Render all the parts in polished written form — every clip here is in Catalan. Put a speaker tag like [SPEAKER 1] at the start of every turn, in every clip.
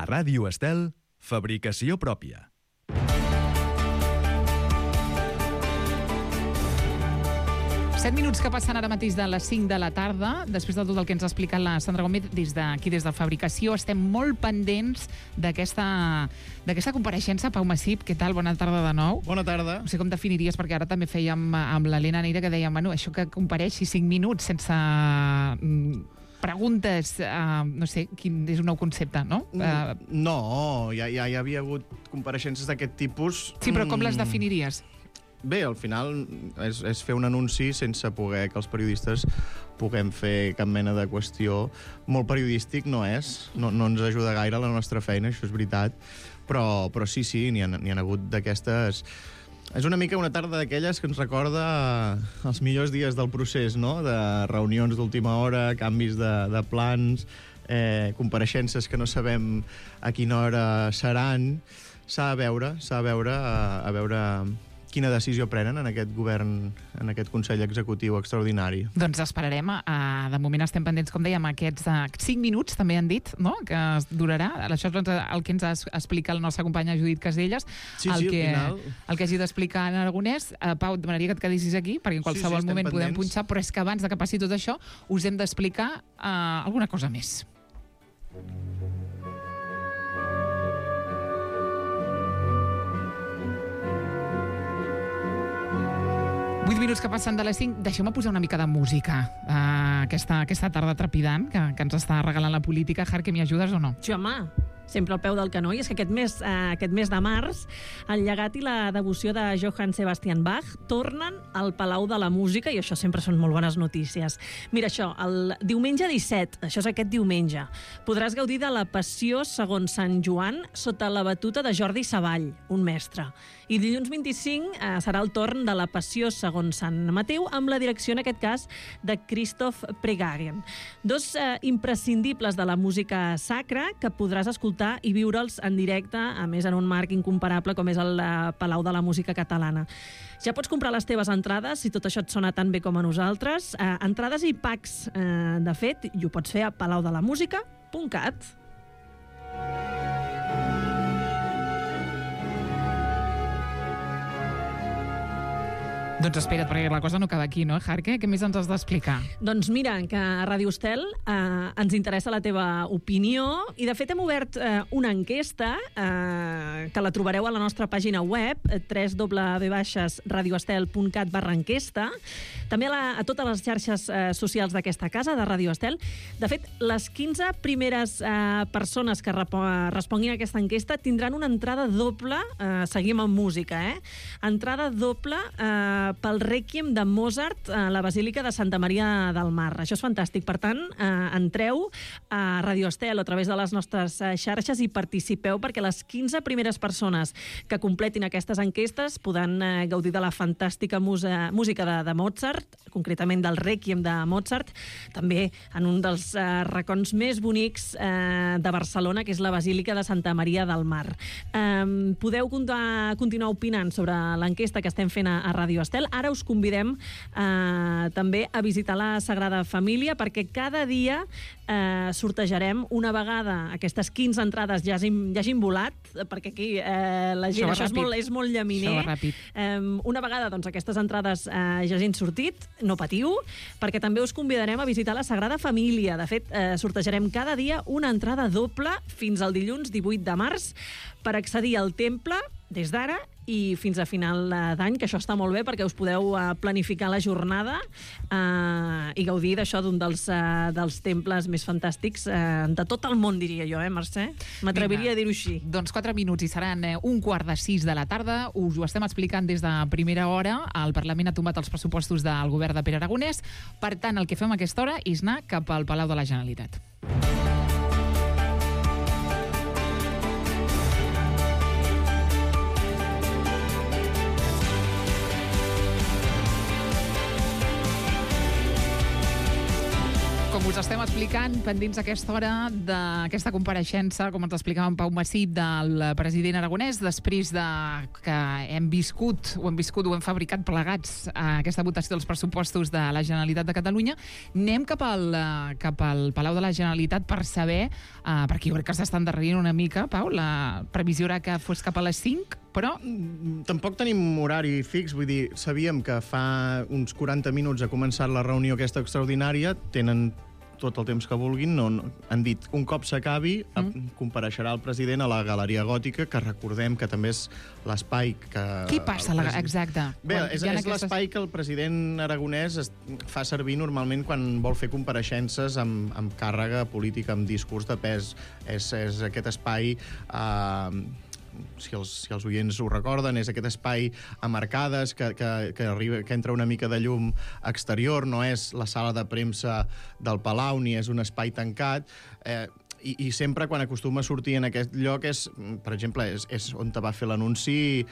[SPEAKER 1] Ràdio Estel, fabricació pròpia.
[SPEAKER 2] Set minuts que passen ara mateix de les 5 de la tarda. Després de tot el que ens ha explicat la Sandra Gómez des de Fabricació, estem molt pendents d'aquesta compareixença. Pau Massip, què tal? Bona tarda de nou.
[SPEAKER 3] Bona tarda.
[SPEAKER 2] No sé com definiries, perquè ara també fèiem amb l'Helena Neira que dèiem, bueno, això que compareixi 5 minuts sense preguntes, no sé, quin és un nou concepte, no?
[SPEAKER 3] No, ja hi havia hagut compareixences d'aquest tipus.
[SPEAKER 2] Sí, però com les definiries?
[SPEAKER 3] Bé, al final és fer un anunci sense poder que els periodistes puguem fer cap mena de qüestió. Molt periodístic no és, no ens ajuda gaire la nostra feina, això és veritat, però sí, n'hi ha hagut d'aquestes. És una mica una tarda d'aquelles que ens recorda els millors dies del procés, no? De reunions d'última hora, canvis de plans, compareixences que no sabem a quina hora seran. S'ha de veure a veure quina decisió prenen en aquest govern, en aquest Consell Executiu extraordinari.
[SPEAKER 2] Doncs esperarem. De moment estem pendents, com dèiem, aquests 5 minuts, també han dit, no?, que es durarà. Això és el que ens ha explicat la nostra companya Judit Casellas.
[SPEAKER 3] Sí, al final.
[SPEAKER 2] El que hagi d'explicar en Aragonès. Pau, et demanaria que et quedessis aquí, perquè en qualsevol moment podem punxar, però és que abans de que passi tot això us hem d'explicar alguna cosa més. Vuit minuts que passen de les 5. Deixeu-me posar una mica de música aquesta tarda trepidant que ens està regalant la política. Jarque, m'hi ajudes o no?
[SPEAKER 4] Sí, home, sempre al peu del canó. I és que aquest mes de març el llegat i la devoció de Johann Sebastian Bach tornen al Palau de la Música, i això sempre són molt bones notícies. Mira això, el diumenge 17, això és aquest diumenge, podràs gaudir de la Passió segons Sant Joan sota la batuta de Jordi Savall, un mestre. I dilluns 25 serà el torn de la Passió segons Sant Mateu, amb la direcció, en aquest cas, de Christoph Pregagen. Dos imprescindibles de la música sacra que podràs escoltar i viure'ls en directe, a més en un marc incomparable com és el Palau de la Música Catalana. Ja pots comprar les teves entrades, si tot això et sona tan bé com a nosaltres. Entrades i packs, de fet, i ho pots fer a palaudelamusica.cat.
[SPEAKER 2] Doncs espera't, perquè la cosa no acaba aquí, no, Jarque? Què més ens has d'explicar?
[SPEAKER 4] Doncs mira, que a Ràdio Estel ens interessa la teva opinió, i de fet hem obert una enquesta que la trobareu a la nostra pàgina web, www.radioestel.cat/enquesta, també a totes les xarxes socials d'aquesta casa, de Ràdio Estel. De fet, les 15 primeres persones que responguin a aquesta enquesta tindran una entrada doble, seguim amb música, entrada doble pel Rèquiem de Mozart a la Basílica de Santa Maria del Mar. Això és fantàstic. Per tant, entreu a Radio Estel a través de les nostres xarxes i participeu, perquè les 15 primeres persones que completin aquestes enquestes podran gaudir de la fantàstica música de Mozart, concretament del Rèquiem de Mozart, també en un dels racons més bonics de Barcelona, que és la Basílica de Santa Maria del Mar. Podeu continuar opinant sobre l'enquesta que estem fent a Radio Estel. Ara us convidem també a visitar la Sagrada Família, perquè cada dia sortejarem una vegada aquestes 15 entrades ja hagin volat, perquè aquí la gent, això és molt llaminer. Una vegada aquestes entrades ja hagin sortit, no patiu, perquè també us convidarem a visitar la Sagrada Família. De fet, sortejarem cada dia una entrada doble fins al dilluns 18 de març per accedir al temple des d'ara i fins a final d'any, que això està molt bé perquè us podeu planificar la jornada i gaudir d'això, d'un dels temples més fantàstics de tot el món, diria jo, Mercè? M'atreviria a dir-ho així.
[SPEAKER 2] Doncs 4 minuts i seran 5:45 de la tarda. Us ho estem explicant des de primera hora. El Parlament ha tombat els pressupostos del govern de Pere Aragonès. Per tant, el que fem a aquesta hora és anar cap al Palau de la Generalitat. Com us estem explicant, pendents a aquesta hora, d'aquesta compareixença, com ens explicava en Pau Massip, del president aragonès, després de que ho hem viscut, ho hem fabricat plegats a aquesta votació dels pressupostos de la Generalitat de Catalunya. Anem cap al Palau de la Generalitat per saber, perquè jo crec que s'està endarrerint una mica, Pau, la previsió era que fos cap a les 5, però...
[SPEAKER 3] Tampoc tenim horari fix, vull dir, sabíem que fa uns 40 minuts ha començat la reunió aquesta extraordinària, tenen tot el temps que vulguin, han dit, un cop s'acabi, compareixerà el president a la Galeria Gòtica, que recordem que també és l'espai que...
[SPEAKER 2] Què passa, exacte?
[SPEAKER 3] Bé, és l'espai que el president aragonès fa servir normalment quan vol fer compareixences amb càrrega política, amb discurs de pes. És aquest espai... Si els oients ho recorden, és aquest espai amb arcades que entra una mica de llum exterior, no és la sala de premsa del Palau, ni és un espai tancat, i sempre quan acostuma a sortir en aquest lloc per exemple, és on va fer l'anunci,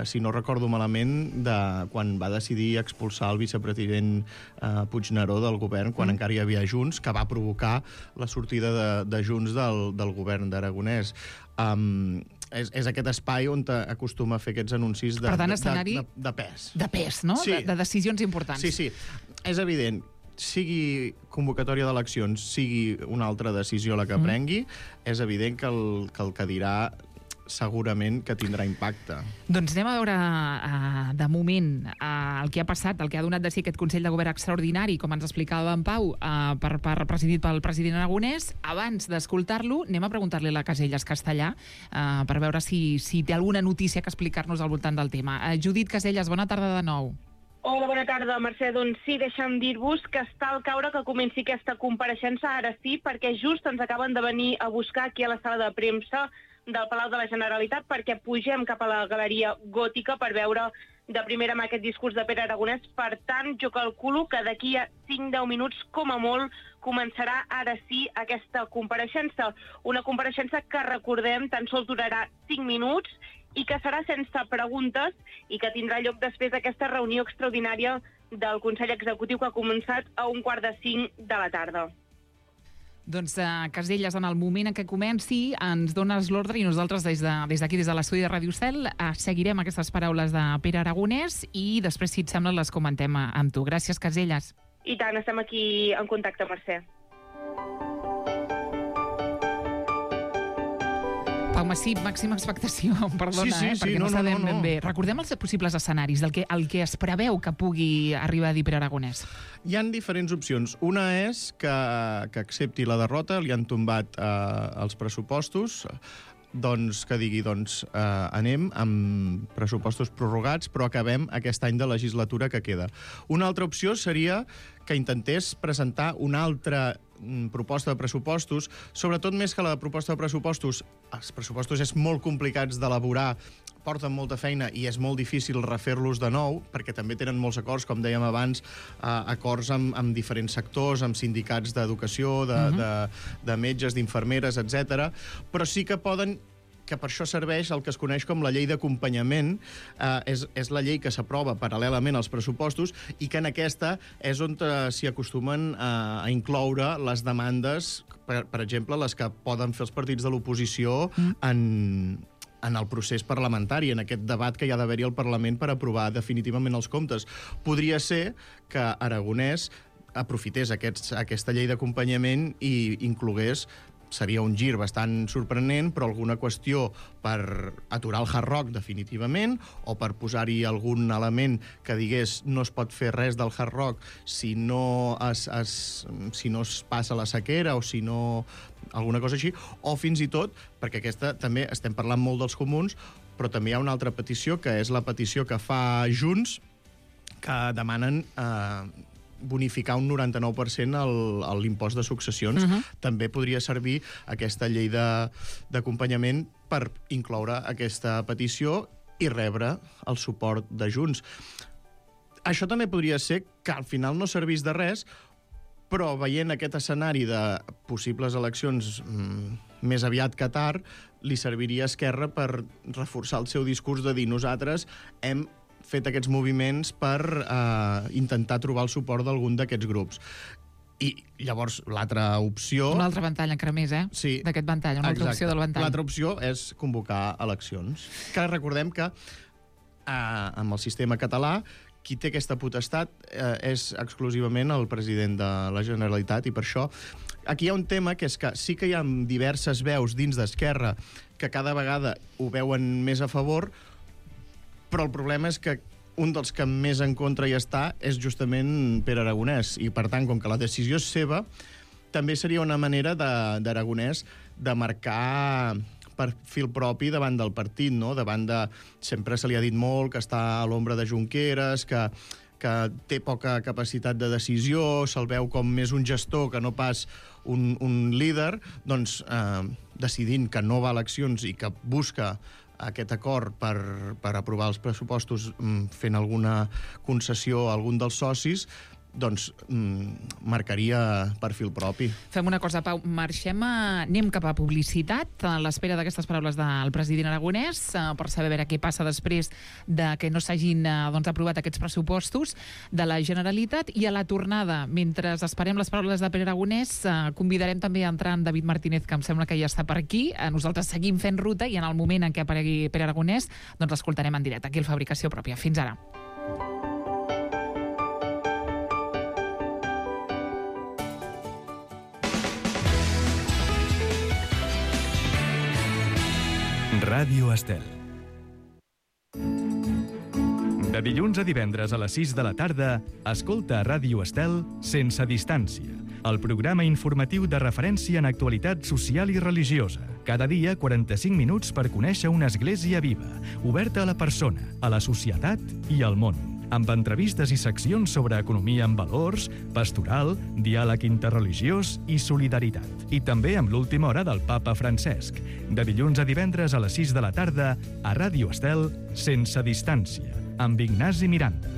[SPEAKER 3] si no recordo malament, de quan va decidir expulsar el vicepresident Puigneró del govern, quan encara hi havia Junts, que va provocar la sortida de Junts del govern d'Aragonès. És aquest espai on acostuma a fer aquests anuncis de pes.
[SPEAKER 2] De pes, no?
[SPEAKER 3] Sí.
[SPEAKER 2] De decisions importants.
[SPEAKER 3] Sí. És evident, sigui convocatòria d'eleccions, sigui una altra decisió la que prengui, és evident que el que dirà segurament que tindrà impacte.
[SPEAKER 2] Doncs anem a veure, de moment, el que ha passat, el que ha donat de si aquest Consell de Govern extraordinari, com ens explicava en Pau, presidit pel president aragonès. Abans d'escoltar-lo, anem a preguntar-li a la Casellas Castellà per veure si té alguna notícia que explicar-nos al voltant del tema. Judit Casellas, bona tarda de nou.
[SPEAKER 5] Hola, bona tarda, Mercè. Doncs sí, deixa'm dir-vos que està al caure que comenci aquesta compareixença, ara sí, perquè just ens acaben de venir a buscar aquí a la sala de premsa del Palau de la Generalitat perquè pugem cap a la Galeria Gòtica per veure de primera mà aquest discurs de Pere Aragonès. Per tant, jo calculo que d'aquí a 5-10 minuts, com a molt, començarà ara sí aquesta compareixença. Una compareixença que, recordem, tan sols durarà 5 minuts i que serà sense preguntes i que tindrà lloc després d'aquesta reunió extraordinària del Consell Executiu que ha començat a 4:45 de la tarda.
[SPEAKER 2] Doncs, Casellas, en el moment en què comenci, ens dones l'ordre i nosaltres des d'aquí, des de l'estudi de Ràdio Estel, seguirem aquestes paraules de Pere Aragonès i després, si et sembla, les comentem amb tu. Gràcies, Casellas.
[SPEAKER 5] I tant, estem aquí en contacte, Mercè.
[SPEAKER 2] Pau Massip, màxima expectació, perdona, perquè no sabem ben bé. Recordem els possibles escenaris, el que es preveu que pugui arribar a dir Pere Aragonès.
[SPEAKER 3] Hi han diferents opcions. Una és que accepti la derrota, li han tombat els pressupostos, doncs que digui, anem amb pressupostos prorrogats, però acabem aquest any de legislatura que queda. Una altra opció seria que intentés presentar una altra proposta de pressupostos, sobretot més que la de proposta de pressupostos. Els pressupostos és molt complicats d'elaborar, porten molta feina i és molt difícil refer-los de nou, perquè també tenen molts acords, com dèiem abans, acords amb diferents sectors, amb sindicats d'educació, de metges, d'infermeres, etc. Però sí que poden, que per això serveix el que es coneix com la llei d'acompanyament, és la llei que s'aprova paral·lelament als pressupostos i que en aquesta és on s'hi acostumen a incloure les demandes, per exemple, les que poden fer els partits de l'oposició en el procés parlamentari, en aquest debat que hi ha d'haver-hi al Parlament per aprovar definitivament els comptes. Podria ser que Aragonès aprofités aquesta llei d'acompanyament i inclogués, seria un gir bastant sorprenent, però alguna qüestió per aturar el Hard Rock definitivament, o per posar-hi algun element que digués no es pot fer res del Hard Rock si no es passa la sequera, o si no... alguna cosa així, o fins i tot, perquè aquesta també estem parlant molt dels comuns, però també hi ha una altra petició, que és la petició que fa Junts, que demanen bonificar un 99% l'impost de successions. També podria servir aquesta llei d'acompanyament per incloure aquesta petició i rebre el suport de Junts. Això també podria ser que al final no servís de res, però veient aquest escenari de possibles eleccions més aviat que tard, li serviria a Esquerra per reforçar el seu discurs de dir nosaltres hem fet aquests moviments per intentar trobar el suport d'algun d'aquests grups. I llavors l'altra opció...
[SPEAKER 2] Una altra ventall encara més,
[SPEAKER 3] Sí.
[SPEAKER 2] D'aquest ventall, una altra opció del ventall.
[SPEAKER 3] L'altra opció és convocar eleccions. Que recordem que amb el sistema català qui té aquesta potestat és exclusivament el president de la Generalitat, i per això aquí hi ha un tema que és que sí que hi ha diverses veus dins d'Esquerra que cada vegada ho veuen més a favor, però el problema és que un dels que més en contra hi està és justament Pere Aragonès, i per tant, com que la decisió és seva, també seria una manera d'Aragonès de marcar perfil propi davant del partit, no? Sempre se li ha dit molt que està a l'ombra de Junqueras, que té poca capacitat de decisió, se'l veu com més un gestor que no pas un líder, doncs decidint que no va a eleccions i que busca aquest acord per aprovar els pressupostos fent alguna concessió a algun dels socis, doncs marcaria perfil propi.
[SPEAKER 2] Fem una cosa, Pau, anem cap a publicitat a l'espera d'aquestes paraules del president Aragonès per saber veure què passa després de que no s'hagin aprovat aquests pressupostos de la Generalitat, i a la tornada, mentre esperem les paraules de Pere Aragonès, convidarem també a entrar en David Martínez, que em sembla que ja està per aquí. Nosaltres seguim fent ruta i en el moment en què aparegui Pere Aragonès doncs l'escoltarem en directe aquí al Fabricació Pròpia. Fins ara.
[SPEAKER 1] Ràdio Estel. De dilluns a divendres a les 6 de la tarda, escolta a Ràdio Estel Sense Distància, el programa informatiu de referència en actualitat social i religiosa. Cada dia, 45 minuts per conèixer una església viva, oberta a la persona, a la societat i al món, amb entrevistes i seccions sobre economia amb valors, pastoral, diàleg interreligiós i solidaritat. I també amb l'última hora del papa Francesc. De dilluns a divendres a les 6 de la tarda, a Ràdio Estel, Sense Distància, amb Ignasi Miranda.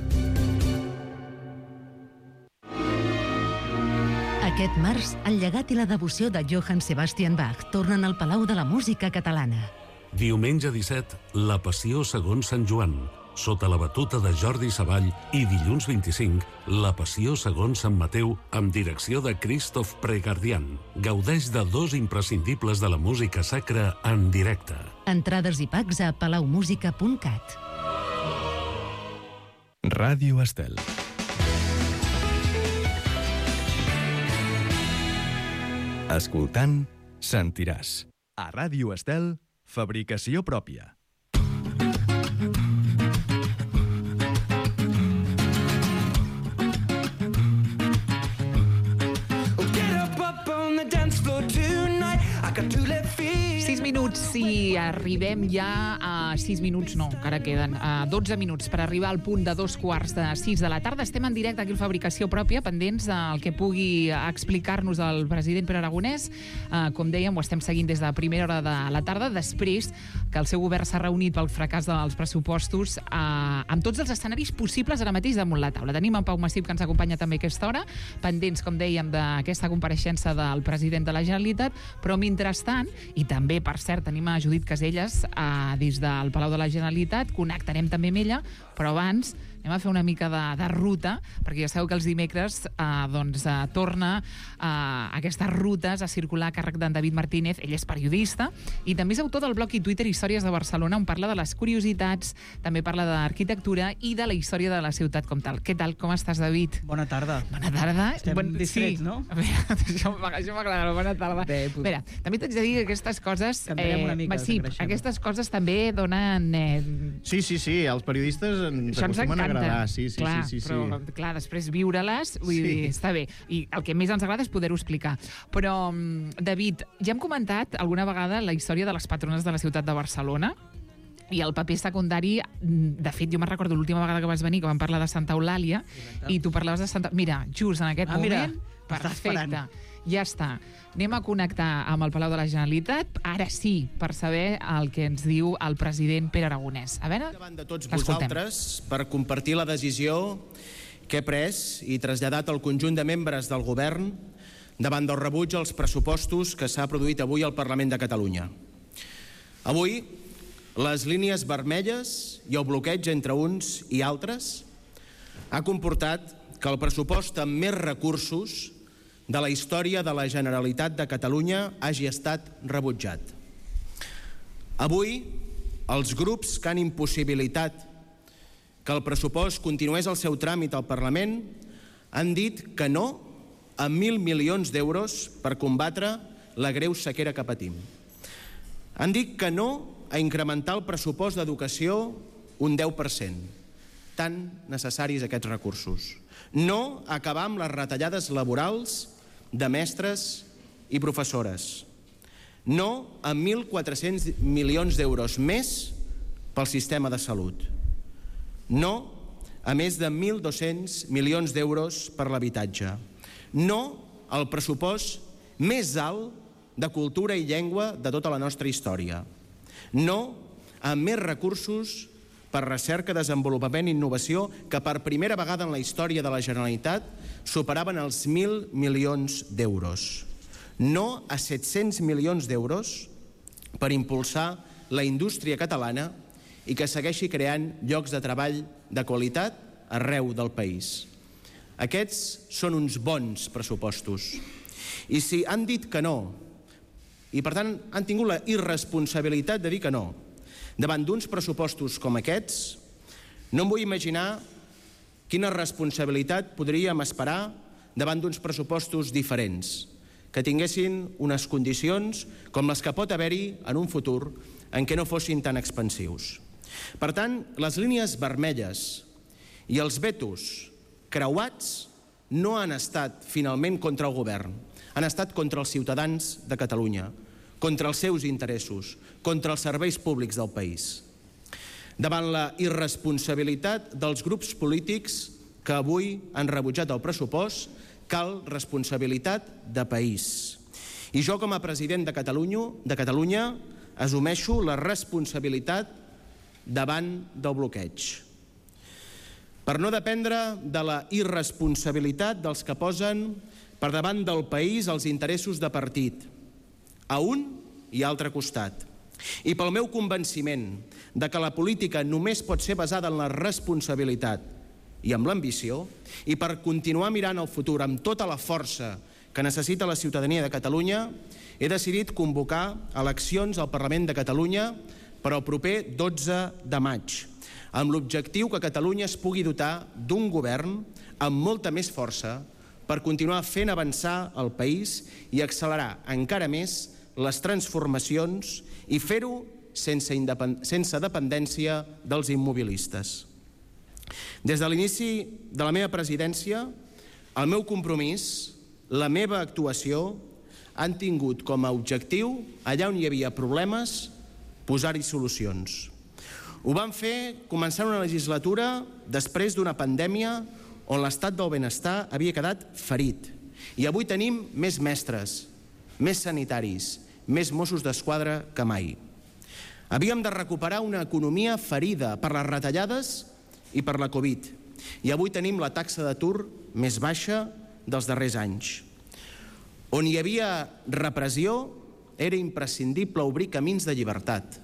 [SPEAKER 6] Aquest març, el llegat i la devoció de Johann Sebastian Bach tornen al Palau de la Música Catalana.
[SPEAKER 7] Diumenge 17, la Passió segons Sant Joan, sota la batuta de Jordi Savall, i dilluns 25, la Passió segons Sant Mateu, amb direcció de Christoph Pregardian. Gaudeix de 2 imprescindibles de la música sacra en directe.
[SPEAKER 6] Entrades i packs a palaumusica.cat.
[SPEAKER 1] Ràdio Estel. Escoltant, sentiràs. A Ràdio Estel, fabricació pròpia.
[SPEAKER 2] Si arribem ja a 6 minuts, no, encara queden 12 minuts per arribar al punt de 2:15 de la tarda. Estem en directe aquí al Fabricació Pròpia, pendents del que pugui explicar-nos el president Pere Aragonès. Com dèiem, ho estem seguint des de primera hora de la tarda, després que el seu govern s'ha reunit pel fracàs dels pressupostos amb tots els escenaris possibles ara mateix damunt la taula. Tenim en Pau Massip, que ens acompanya també a aquesta hora, pendents, com dèiem, d'aquesta compareixença del president de la Generalitat, però mentrestant, i també, per cert, tenim a Judit Caselles des del Palau de la Generalitat, connectarem també amb ella, però abans anem a fer una mica de ruta, perquè ja sabeu que els dimecres torna aquestes rutes a circular a càrrec d'en David Martínez. Ell és periodista i també és autor del blog i Twitter Històries de Barcelona, on parla de les curiositats, també parla d'arquitectura i de la història de la ciutat com tal. Què tal? Com estàs, David?
[SPEAKER 8] Bona tarda.
[SPEAKER 2] Bona tarda.
[SPEAKER 8] Estem distrets, no?
[SPEAKER 2] A veure, això m'agrada, bona tarda.
[SPEAKER 8] Bé,
[SPEAKER 2] A veure, també t'haig de dir que aquestes coses...
[SPEAKER 8] Cantarem una mica,
[SPEAKER 2] sí, aquestes coses també donen...
[SPEAKER 3] Sí, els periodistes ens acostumen a agradar. Sí.
[SPEAKER 2] Però, clar, després viure-les, vull dir, està bé. I el que més ens agrada és poder-ho explicar. Però, David, ja hem comentat alguna vegada la història de les patrones de la ciutat de Barcelona, i el paper secundari, de fet, jo me'n recordo l'última vegada que vas venir, que vam parlar de Santa Eulàlia, i tu parlaves de Santa... Mira, just en aquest moment, perfecte, ja està. Anem a connectar amb el Palau de la Generalitat, ara sí, per saber el que ens diu el president Pere Aragonès. A veure,
[SPEAKER 9] davant de tots vosaltres, per compartir la decisió que he pres i traslladat al conjunt de membres del govern davant del rebuig als pressupostos que s'ha produït avui al Parlament de Catalunya. Avui, les línies vermelles i el bloqueig entre uns i altres ha comportat que el pressupost amb més recursos de la història de la Generalitat de Catalunya hagi estat rebutjat. Avui, els grups que han impossibilitat que el pressupost continués el seu tràmit al Parlament han dit que no a 1.000 milions d'euros per combatre la greu sequera que patim. Han dit que no a incrementar el pressupost d'educació un 10%, tan necessaris aquests recursos. No a acabar amb les retallades laborals de mestres i professores. No a 1.400 milions d'euros més pel sistema de salut. No a més de 1.200 milions d'euros per l'habitatge. No al pressupost més alt de cultura i llengua de tota la nostra història. No a més recursos per recerca, desenvolupament i innovació que per primera vegada en la història de la Generalitat superaven els 1.000 milions d'euros. No a 700 milions d'euros per impulsar la indústria catalana i que segueixi creant llocs de treball de qualitat arreu del país. Aquests són uns bons pressupostos. I si han dit que no, i per tant han tingut la irresponsabilitat de dir que no, davant d'uns pressupostos com aquests, no em vull imaginar quina responsabilitat podríem esperar davant d'uns pressupostos diferents, que tinguessin unes condicions com les que pot haver-hi en un futur en què no fossin tan expansius. Per tant, les línies vermelles i els vetos creuats no han estat finalment contra el govern, han estat contra els ciutadans de Catalunya, contra els seus interessos, contra els serveis públics del país. Davant la irresponsabilitat dels grups polítics que avui han rebutjat el pressupost, cal responsabilitat de país. I jo, com a president de Catalunya, assumeixo la responsabilitat davant del bloqueig. Per no dependre de la irresponsabilitat dels que posen per davant del país els interessos de partit, a un i altre costat. I pel meu convenciment de que la política només pot ser basada en la responsabilitat i amb l'ambició, i per continuar mirant el futur amb tota la força que necessita la ciutadania de Catalunya, he decidit convocar eleccions al Parlament de Catalunya per al proper 12 de maig, amb l'objectiu que Catalunya es pugui dotar d'un govern amb molta més força per continuar fent avançar el país i accelerar encara més les transformacions i fer-ho sense dependència dels immobilistes. Des de l'inici de la meva presidència, el meu compromís, la meva actuació, han tingut com a objectiu, allà on hi havia problemes, posar-hi solucions. Ho vam fer començant una legislatura després d'una pandèmia on l'estat del benestar havia quedat ferit. I avui tenim més mestres, més sanitaris, més Mossos d'Esquadra que mai. Havíem de recuperar una economia ferida per les retallades i per la Covid. I avui tenim la taxa d'atur més baixa dels darrers anys. On hi havia repressió, era imprescindible obrir camins de llibertat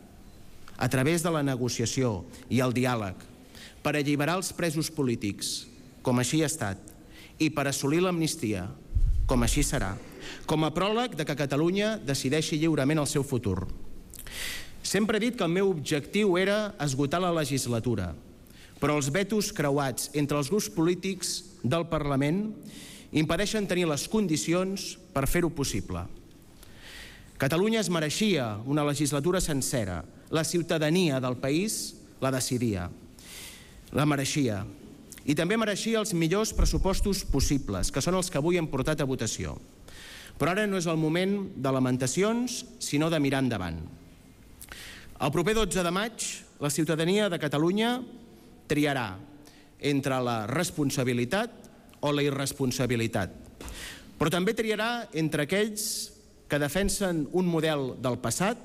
[SPEAKER 9] a través de la negociació i el diàleg per alliberar els presos polítics, com així ha estat, i per assolir l'amnistia, com així serà, com a pròleg de que Catalunya decideixi lliurement el seu futur. Sempre he dit que el meu objectiu era esgotar la legislatura, però els vetos creuats entre els grups polítics del Parlament impedeixen tenir les condicions per fer-ho possible. Catalunya es mereixia una legislatura sencera. La ciutadania del país la decidia. La mereixia. I també mereixia els millors pressupostos possibles, que són els que avui hem portat a votació. Però ara no és el moment de lamentacions, sinó de mirar endavant. El proper 12 de maig, la ciutadania de Catalunya triarà entre la responsabilitat o la irresponsabilitat. Però també triarà entre aquells que defensen un model del passat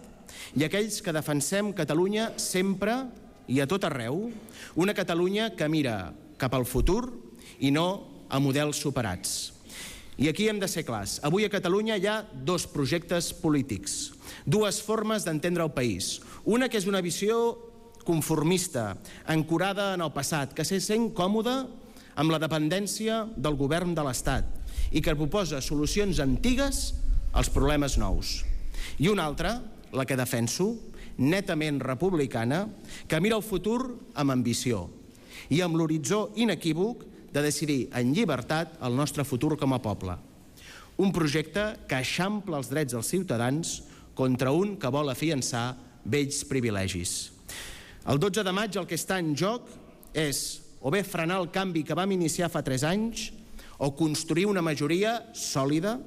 [SPEAKER 9] i aquells que defensem Catalunya sempre i a tot arreu, una Catalunya que mira cap al futur i no a models superats. I aquí hem de ser clars. Avui a Catalunya hi ha dos projectes polítics, dues formes d'entendre el país. Una que és una visió conformista, ancorada en el passat, que se sent còmoda amb la dependència del govern de l'Estat i que proposa solucions antigues als problemes nous. I una altra, la que defenso, netament republicana, que mira el futur amb ambició i amb l'horitzó inequívoc de decidir en llibertat el nostre futur com a poble. Un projecte que eixampla els drets dels ciutadans contra un que vol afiançar vells privilegis. El 12 de maig el que està en joc és o bé frenar el canvi que vam iniciar fa 3 anys o construir una majoria sòlida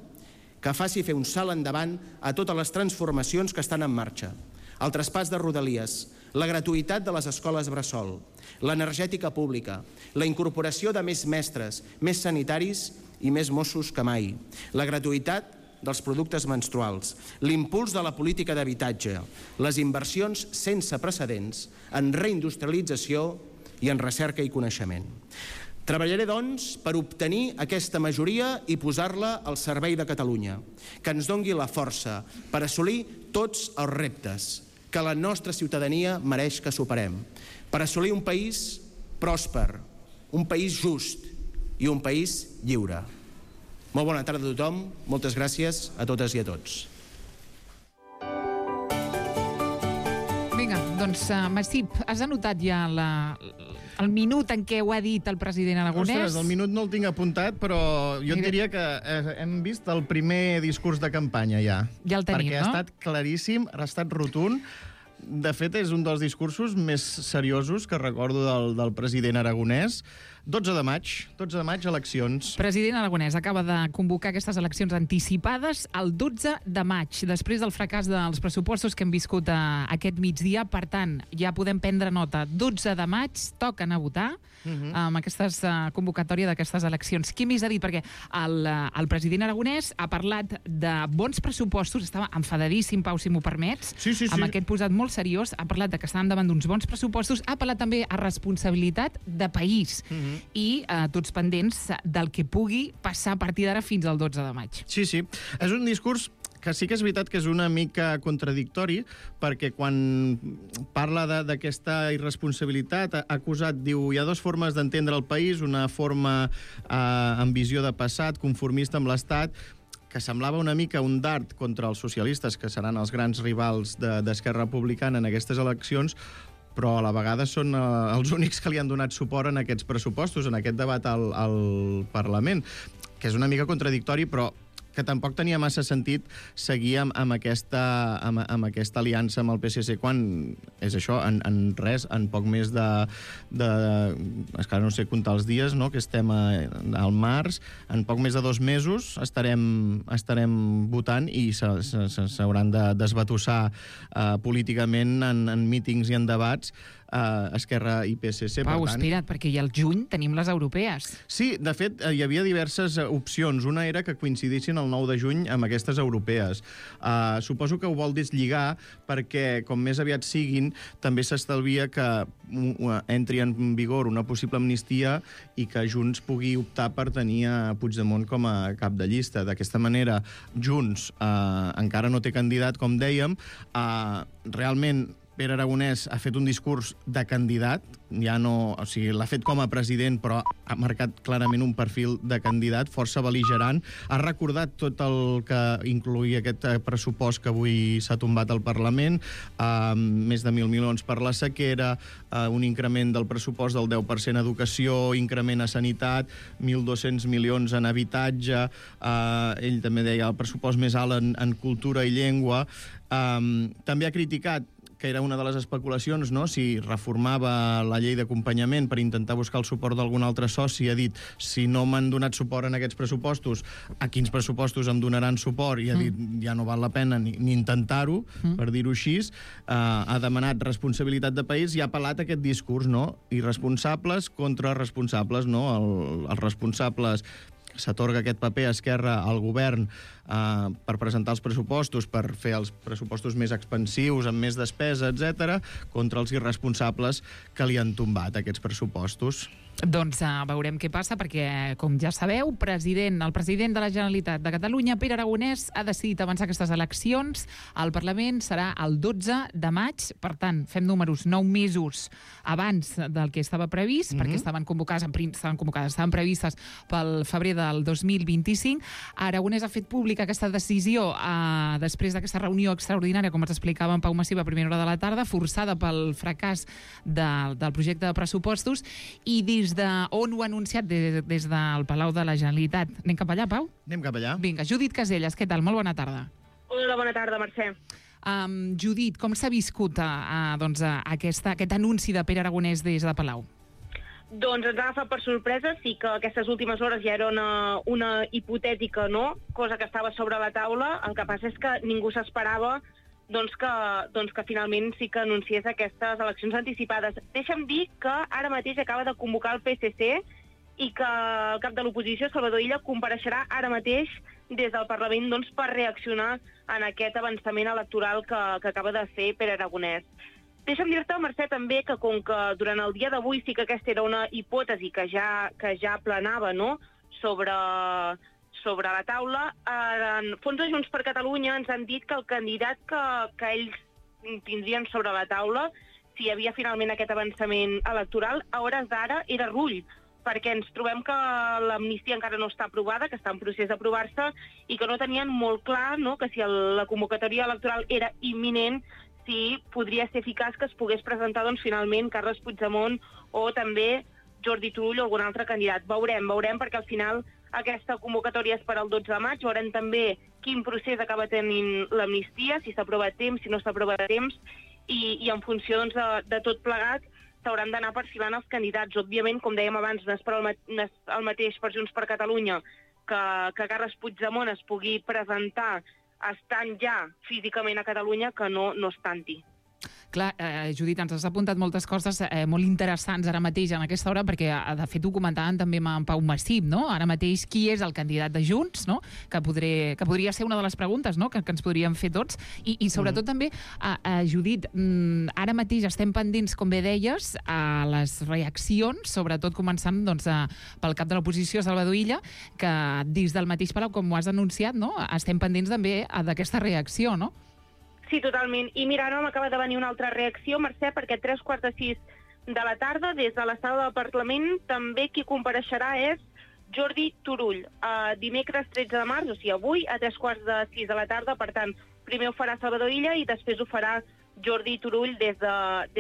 [SPEAKER 9] que faci fer un salt endavant a totes les transformacions que estan en marxa. El traspàs de Rodalies, la gratuïtat de les escoles bressol, l'energètica pública, la incorporació de més mestres, més sanitaris i més Mossos que mai, la gratuïtat dels productes menstruals, l'impuls de la política d'habitatge, les inversions sense precedents en reindustrialització i en recerca i coneixement. Treballaré, doncs, per obtenir aquesta majoria i posar-la al servei de Catalunya, que ens dongui la força per assolir tots els reptes que la nostra ciutadania mereix que superem, per assolir un país pròsper, un país just i un país lliure. Molt bona tarda a tothom, moltes gràcies a totes i a tots.
[SPEAKER 2] Vinga, doncs, Massip, has anotat ja el minut en què ho ha dit el president aragonès?
[SPEAKER 3] Ostres, el minut no el tinc apuntat, però jo et diria que hem vist el primer discurs de campanya ja.
[SPEAKER 2] Ja el tenim,
[SPEAKER 3] perquè ha estat claríssim, ha estat rotund. De fet, és un dels discursos més seriosos que recordo del president aragonès. 12 de maig, eleccions.
[SPEAKER 2] President aragonès acaba de convocar aquestes eleccions anticipades el 12 de maig, després del fracàs dels pressupostos que hem viscut aquest migdia. Per tant, ja podem prendre nota. 12 de maig, toquen a votar amb aquesta convocatòria d'aquestes eleccions. Qui més ha dit? Perquè el president aragonès ha parlat de bons pressupostos, estava enfadadíssim, Pau, si m'ho permets, amb aquest posat molt seriós, ha parlat de que estàvem davant d'uns bons pressupostos, ha parlat també a responsabilitat de país i tots pendents del que pugui passar a partir d'ara fins al 12 de maig.
[SPEAKER 3] Sí. És un discurs que sí que és veritat que és una mica contradictori, perquè quan parla d'aquesta irresponsabilitat, ha acusat, diu, hi ha 2 formes d'entendre el país, una forma amb visió de passat, conformista amb l'Estat, que semblava una mica un dart contra els socialistes, que seran els grans rivals d'Esquerra Republicana en aquestes eleccions, però a la vegada són els únics que li han donat suport en aquests pressupostos, en aquest debat al Parlament, que és una mica contradictori, però que tampoc tenia massa sentit seguir amb aquesta aliança amb el PSC quan és això, en poc més de és que no sé comptar els dies, no?, que estem al març, en poc més de 2 mesos estarem votant i s'hauran de desbatussar políticament en mítings i en debats Esquerra i PSC.
[SPEAKER 2] Pau, espera't, perquè ja al juny tenim les europees.
[SPEAKER 3] Sí, de fet, hi havia diverses opcions. Una era que coincidissin el 9 de juny amb aquestes europees. Suposo que ho vol deslligar perquè, com més aviat siguin, també s'estalvia que entri en vigor una possible amnistia i que Junts pugui optar per tenir a Puigdemont com a cap de llista. D'aquesta manera, Junts encara no té candidat, com dèiem. Realment, Pere Aragonès ha fet un discurs de candidat, ja no, o sigui, l'ha fet com a president, però ha marcat clarament un perfil de candidat, força bel·ligerant. Ha recordat tot el que incloïa aquest pressupost que avui s'ha tombat al Parlament, més de 1.000 milions per la sequera, un increment del pressupost del 10% a educació, increment a sanitat, 1.200 milions en habitatge, ell també deia el pressupost més alt en cultura i llengua. També ha criticat que era una de les especulacions, no?, si reformava la llei d'acompanyament per intentar buscar el suport d'algun altre soci. Ha dit, si no m'han donat suport en aquests pressupostos, a quins pressupostos em donaran suport? I ha dit, ja no val la pena ni intentar-ho, per dir-ho així. Ha demanat responsabilitat de país i ha apel·lat a aquest discurs, no?, irresponsables contra responsables, no?, els responsables s'atorga aquest paper a Esquerra al govern per presentar els pressupostos, per fer els pressupostos més expansius, amb més despesa, etc., contra els irresponsables que li han tombat aquests pressupostos.
[SPEAKER 2] Doncs veurem què passa, perquè, com ja sabeu, el president de la Generalitat de Catalunya, Pere Aragonès, ha decidit avançar aquestes eleccions. El Parlament serà el 12 de maig, per tant, fem números 9 mesos abans del que estava previst, perquè estaven previstes pel febrer del 2025. Aragonès ha fet pública aquesta decisió després d'aquesta reunió extraordinària, com ens explicava en Pau Massiva a primera hora de la tarda, forçada pel fracàs del projecte de pressupostos, i des d'on ho ha anunciat? Des del Palau de la Generalitat. Anem cap allà, Pau?
[SPEAKER 3] Anem cap allà.
[SPEAKER 2] Vinga, Judit Caselles, què tal? Molt bona tarda.
[SPEAKER 5] Hola, bona tarda, Mercè.
[SPEAKER 2] Judit, com s'ha viscut aquest anunci de Pere Aragonès des de Palau?
[SPEAKER 5] Doncs ens ha agafat per sorpresa, sí que aquestes últimes hores ja era una hipotètica, no?, cosa que estava sobre la taula. El que passa és que ningú s'esperava que finalment sí que anunciés aquestes eleccions anticipades. Deixa'm dir que ara mateix acaba de convocar el PSC i que el cap de l'oposició, Salvador Illa, compareixerà ara mateix des del Parlament per reaccionar en aquest avançament electoral que acaba de fer Pere Aragonès. Deixa'm dir-te, Mercè, també que com que durant el dia d'avui sí que aquesta era una hipòtesi que ja planava, no?, sobre la taula, en Fons de Junts per Catalunya ens han dit que el candidat que ells tindrien sobre la taula, si hi havia finalment aquest avançament electoral, a hores d'ara era Rull, perquè ens trobem que l'amnistia encara no està aprovada, que està en procés d'aprovar-se, i que no tenien molt clar, no?, que si la convocatòria electoral era imminent, si podria ser eficaç que es pogués presentar finalment Carles Puigdemont o també Jordi Turull o algun altre candidat. Veurem, perquè al final aquesta convocatòria és per al 12 de maig, veurem també quin procés acaba tenint l'amnistia, si s'aprova a temps, si no s'aprova a temps, i en funció de tot plegat s'hauran d'anar perfilant els candidats. Òbviament, com dèiem abans, no és el mateix per Junts per Catalunya que Carles Puigdemont es pugui presentar estant ja físicament a Catalunya que no estant-hi.
[SPEAKER 2] Clar, Judit, ens has apuntat moltes coses molt interessants ara mateix en aquesta hora, perquè de fet ho comentaven també amb en Pau Massip, no? Ara mateix qui és el candidat de Junts, no?, que podria ser una de les preguntes, no?, que ens podríem fer tots, i sobretot també, Judit, ara mateix estem pendents, com bé deies, a les reaccions, sobretot començant pel cap de l'oposició, Salvador Illa, que des del mateix Palau, com ho has anunciat, no?, estem pendents també d'aquesta reacció, no?
[SPEAKER 5] Sí, totalment. I mira, ara m'acaba de venir una altra reacció, Mercè, perquè a 3:45 de la tarda, des de la sala del Parlament, també qui compareixerà és Jordi Turull. Dimecres 13 de març, o sigui, avui, a 3:45 de la tarda, per tant, primer ho farà Salvador Illa i després ho farà Jordi Turull des de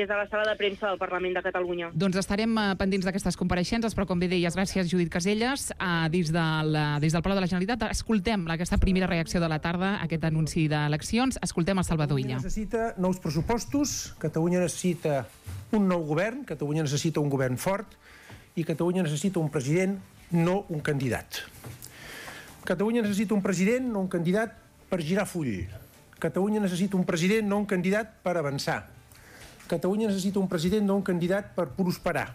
[SPEAKER 5] la sala de premsa del Parlament de Catalunya.
[SPEAKER 2] Doncs estarem pendents d'aquestes compareixences, però com bé deies, gràcies, Judit Caselles, des del Palau de la Generalitat. Escoltem aquesta primera reacció de la tarda, aquest anunci d'eleccions. Escoltem a Salvador Illa.
[SPEAKER 8] Catalunya necessita nous pressupostos, Catalunya necessita un nou govern, Catalunya necessita un govern fort i Catalunya necessita un president, no un candidat. Catalunya necessita un president, no un candidat, per girar full. Catalunya necessita un president, no un candidat, per avançar. Catalunya necessita un president, no un candidat, per prosperar.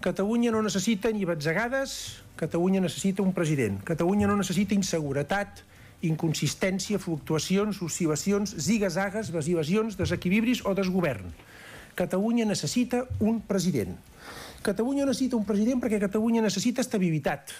[SPEAKER 8] Catalunya no necessita ni batzegades, Catalunya necessita un president. Catalunya no necessita inseguretat, inconsistència, fluctuacions, oscil·lacions, ziga-zagues, evasions, desequilibris o desgovern. Catalunya necessita un president. Catalunya necessita un president perquè Catalunya necessita estabilitat.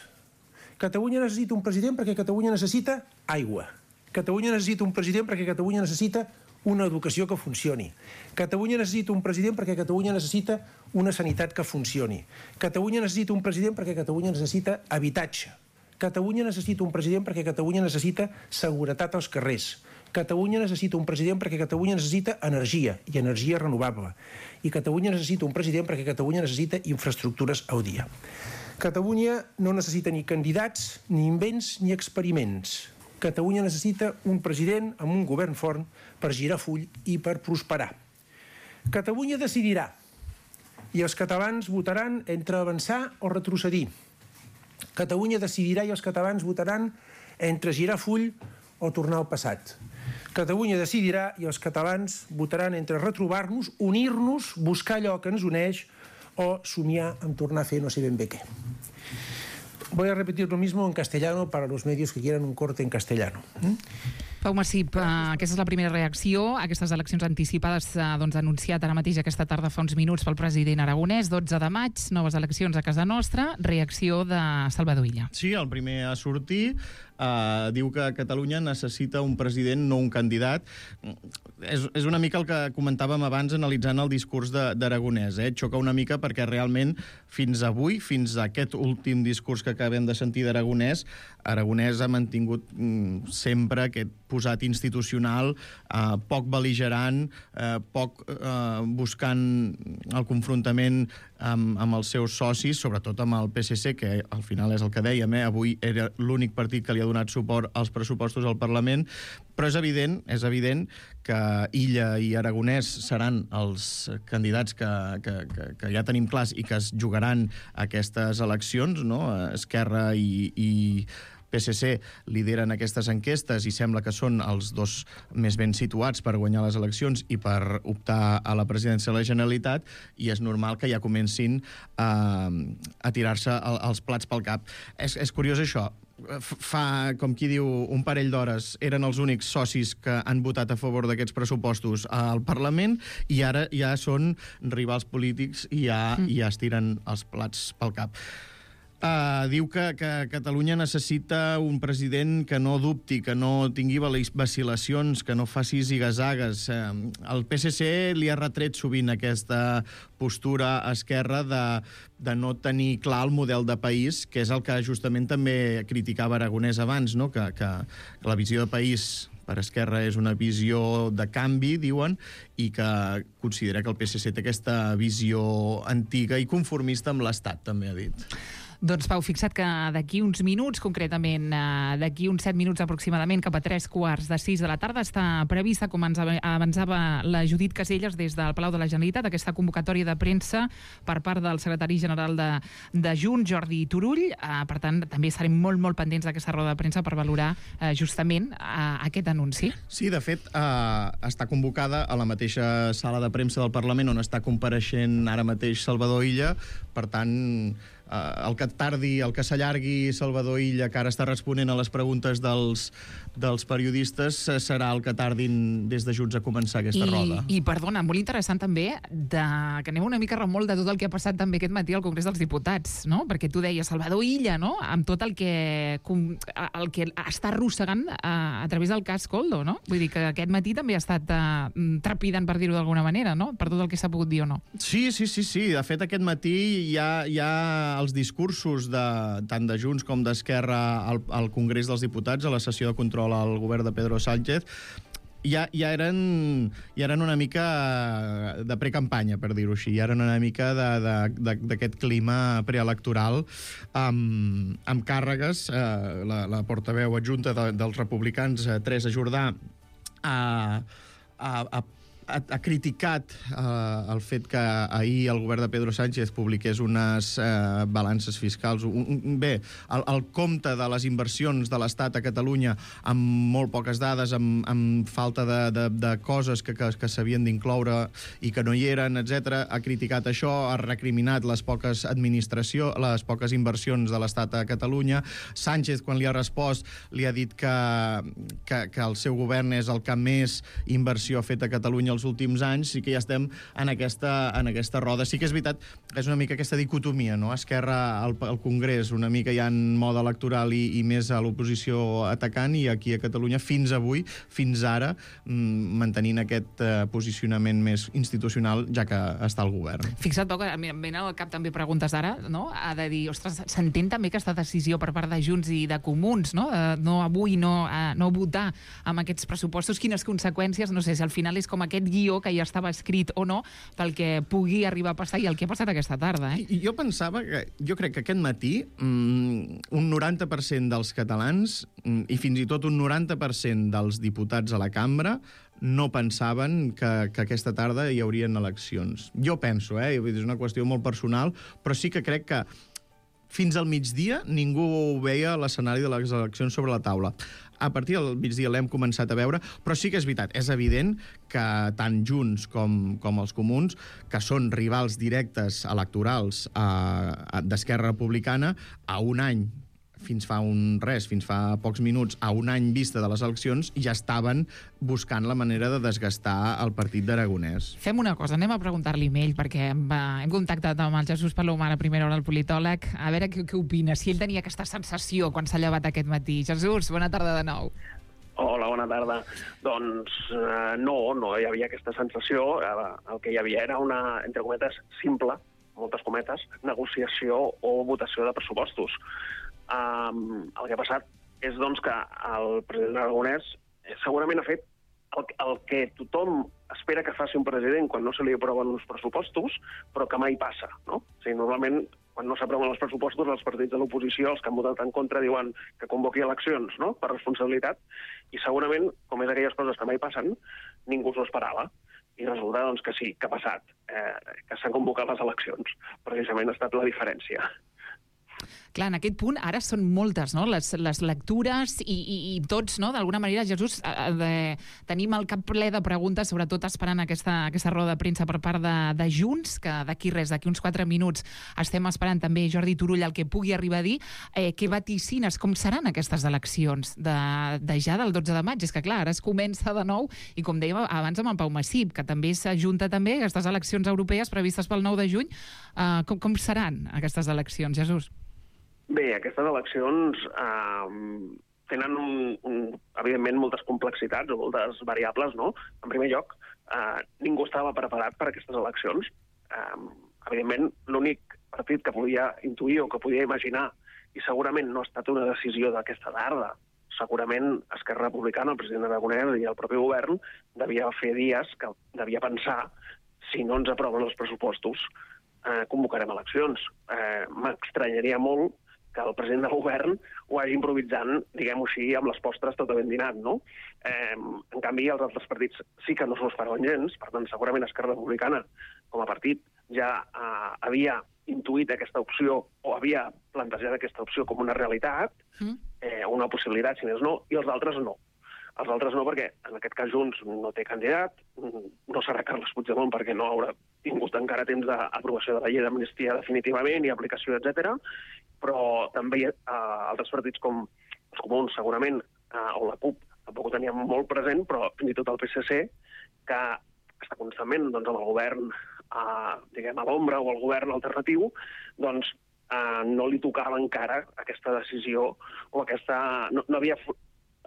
[SPEAKER 8] Catalunya necessita un president perquè Catalunya necessita aigua. Catalunya necessita un president perquè Catalunya necessita una educació que funcioni. Catalunya necessita un president perquè Catalunya necessita una sanitat que funcioni. Catalunya necessita un president perquè Catalunya necessita habitatge. Catalunya necessita un president perquè Catalunya necessita seguretat als carrers. Catalunya necessita un president perquè Catalunya necessita energia, i energia renovable. I Catalunya necessita un president perquè Catalunya necessita infraestructures al dia. Catalunya no necessita ni candidats, ni invents, ni experiments. Catalunya necessita un president amb un govern fort per girar full i per prosperar. Catalunya decidirà, i els catalans votaran entre avançar o retrocedir. Catalunya decidirà i els catalans votaran entre girar full o tornar al passat. Catalunya decidirà i els catalans votaran entre retrobar-nos, unir-nos, buscar allò que ens uneix o somiar amb tornar a fer no sé ben bé què. Voy a repetir lo mismo en castellano para los medios que quieran un corte en castellano.
[SPEAKER 2] Pau Massip, aquesta és la primera reacció a aquestes eleccions anticipades anunciat ara mateix aquesta tarda fa uns minuts pel president aragonès, 12 de maig, noves eleccions a casa nostra, reacció de Salvador Illa.
[SPEAKER 3] Sí, el primer a sortir diu que Catalunya necessita un president, no un candidat. És una mica el que comentàvem abans analitzant el discurs d'Aragonès. Xoca una mica perquè realment fins avui, fins a aquest últim discurs que acabem de sentir d'Aragonès, Aragonès ha mantingut sempre aquest posat institucional, poc bel·ligerant, poc buscant el confrontament amb els seus socis, sobretot amb el PSC, que al final és el que dèiem, avui era l'únic partit que li ha donat suport als pressupostos al Parlament, però és evident que Illa i Aragonès seran els candidats que ja tenim clars i que es jugaran aquestes eleccions, no? Esquerra i PSC lideren aquestes enquestes i sembla que són els dos més ben situats per guanyar les eleccions i per optar a la presidència de la Generalitat, i és normal que ja comencin a tirar-se els plats pel cap. És curiós això. Fa, com qui diu, un parell d'hores eren els únics socis que han votat a favor d'aquests pressupostos al Parlament i ara ja són rivals polítics i ja es tiren els plats pel cap. Diu que Catalunya necessita un president que no dubti, que no tingui vacil·lacions, que no faci zigazagues. El PSC li ha retret sovint aquesta postura a Esquerra de no tenir clar el model de país, que és el que justament també criticava Aragonès abans, no? Que la visió de país per Esquerra és una visió de canvi, diuen, i que considera que el PSC té aquesta visió antiga i conformista amb l'Estat, també ha dit.
[SPEAKER 2] Doncs, Pau, fixa't que d'aquí uns minuts, concretament d'aquí uns 7 minuts aproximadament, cap a 3:15 de la tarda, està prevista, com ens avançava la Judit Caselles des del Palau de la Generalitat, aquesta convocatòria de premsa per part del secretari general de Junts, Jordi Turull. Per tant, també estarem molt pendents d'aquesta roda de premsa per valorar justament aquest anunci.
[SPEAKER 3] Sí, de fet, està convocada a la mateixa sala de premsa del Parlament on està compareixent ara mateix Salvador Illa. Per tant, el que tardi, el que s'allargui Salvador Illa, que ara està responent a les preguntes dels periodistes, serà el que tardin des de Junts a començar aquesta roda.
[SPEAKER 2] I perdona, molt interessant també que anem una mica a remolc de tot el que ha passat també aquest matí al Congrés dels Diputats, no? Perquè tu deies Salvador Illa, no? Amb tot el que està arrossegant a través del cas Koldo, no? Vull dir que aquest matí també ha estat trepidant, per dir-ho d'alguna manera, no? Per tot el que s'ha pogut dir o no.
[SPEAKER 3] Sí. De fet, aquest matí hi ha els discursos tant de Junts com d'Esquerra al Congrés dels Diputats, a la sessió de control al govern de Pedro Sánchez, ja eren una mica de precampanya, per dir-ho així. Ja eren una mica d'aquest clima preelectoral amb càrregues. La portaveu adjunta dels republicans, Teresa Jordà, ha criticat el fet que ahir el govern de Pedro Sánchez publiqués unes balances fiscals. El compte de les inversions de l'Estat a Catalunya amb molt poques dades, amb falta de coses que s'havien d'incloure i que no hi eren, etc. Ha criticat això, ha recriminat les poques inversions de l'Estat a Catalunya. Sánchez, quan li ha respost, li ha dit que el seu govern és el que més inversió ha fet a Catalunya els últims anys, i que ja estem en aquesta roda. Sí que és veritat, és una mica aquesta dicotomia, no? Esquerra al Congrés una mica ja en mode electoral i més a l'oposició atacant, i aquí a Catalunya fins avui, fins ara, mantenint aquest posicionament més institucional, ja que està al govern.
[SPEAKER 2] Fixa't, Pau, que em venen al cap també preguntes ara, no? Ha de dir, ostres, s'entén també aquesta decisió per part de Junts i de Comuns, no? No avui, no votar amb aquests pressupostos, quines conseqüències, no sé, si al final és com aquest guió que ja estava escrit o no, pel que pugui arribar a passar i el que ha passat aquesta tarda.
[SPEAKER 3] Jo crec que aquest matí un 90% dels catalans i fins i tot un 90% dels diputats a la cambra no pensaven que aquesta tarda hi haurien eleccions. Jo penso, és una qüestió molt personal, però sí que crec que fins al migdia ningú veia l'escenari de les eleccions sobre la taula. A partir del migdia l'hem començat a veure, però sí que és veritat, és evident que tant Junts com els Comuns, que són rivals directes electorals d'Esquerra Republicana, a un any fins fa pocs minuts, a un any vista de les eleccions, ja estaven buscant la manera de desgastar el partit d'Aragonès.
[SPEAKER 2] Fem una cosa, anem a preguntar-li a ell, perquè hem contactat amb el Jesús Palomar a primera hora, el politòleg, a veure què opina, si ell tenia aquesta sensació quan s'ha llevat aquest matí. Jesús, bona tarda de nou.
[SPEAKER 10] Hola, bona tarda. Doncs no hi havia aquesta sensació. El que hi havia era una, entre cometes, simple, moltes cometes, negociació o votació de pressupostos. El que ha passat és doncs, que el president Aragonès segurament ha fet el que tothom espera que faci un president quan no se li aproven uns pressupostos, però que mai passa, no? O sigui, normalment, quan no s'aproven els pressupostos, els partits de l'oposició, els que han votat en contra, diuen que convoqui eleccions, no?, per responsabilitat, i segurament, com és aquelles coses que mai passen, ningú s'ho esperava. I resulta doncs, que sí, que ha passat, que s'han convocat les eleccions. Precisament ha estat la diferència.
[SPEAKER 2] Clar, en aquest punt ara són moltes, no?, les lectures i tots, no?, d'alguna manera, Jesús, tenim el cap ple de preguntes, sobretot esperant aquesta roda de premsa per part de Junts, que d'aquí uns 4 minuts estem esperant també Jordi Turull el que pugui arribar a dir. Què vaticines? Com seran aquestes eleccions de ja del 12 de maig? És que clar, ara es comença de nou i com dèiem abans amb el Pau Massip, que també s'ajunta també aquestes eleccions europees previstes pel 9 de juny. Com seran aquestes eleccions, Jesús?
[SPEAKER 10] Bé, aquestes eleccions tenen, evidentment, moltes complexitats o moltes variables, no? En primer lloc, ningú estava preparat per a aquestes eleccions. Evidentment, l'únic partit que podia intuir o que podia imaginar, i segurament no ha estat una decisió d'aquesta tarda, segurament Esquerra Republicana, el president Aragonès i el propi govern devia fer dies que devia pensar si no ens aproven els pressupostos convocarem eleccions. M'estranyaria molt que el president del govern ho hagi improvisant, diguem-ho així, amb les postres tot ben dinat, no? En canvi, els altres partits sí que no s'ho esperaven gens, per tant, segurament Esquerra Republicana, com a partit, ja havia intuït aquesta opció o havia plantejat aquesta opció com una realitat, una possibilitat, si més no, i els altres no. Els altres no perquè, en aquest cas, Junts no té candidat, no serà Carles Puigdemont perquè no haurà tingut encara temps d'aprovació de la llei d'amnistia definitivament i aplicació, etc. Però també altres partits com els Comuns, segurament, o la CUP, tampoc ho teníem molt present, però fins i tot el PSC, que està constantment doncs, amb el govern diguem, a l'ombra o el govern alternatiu, doncs no li tocava encara aquesta decisió o aquesta... No havia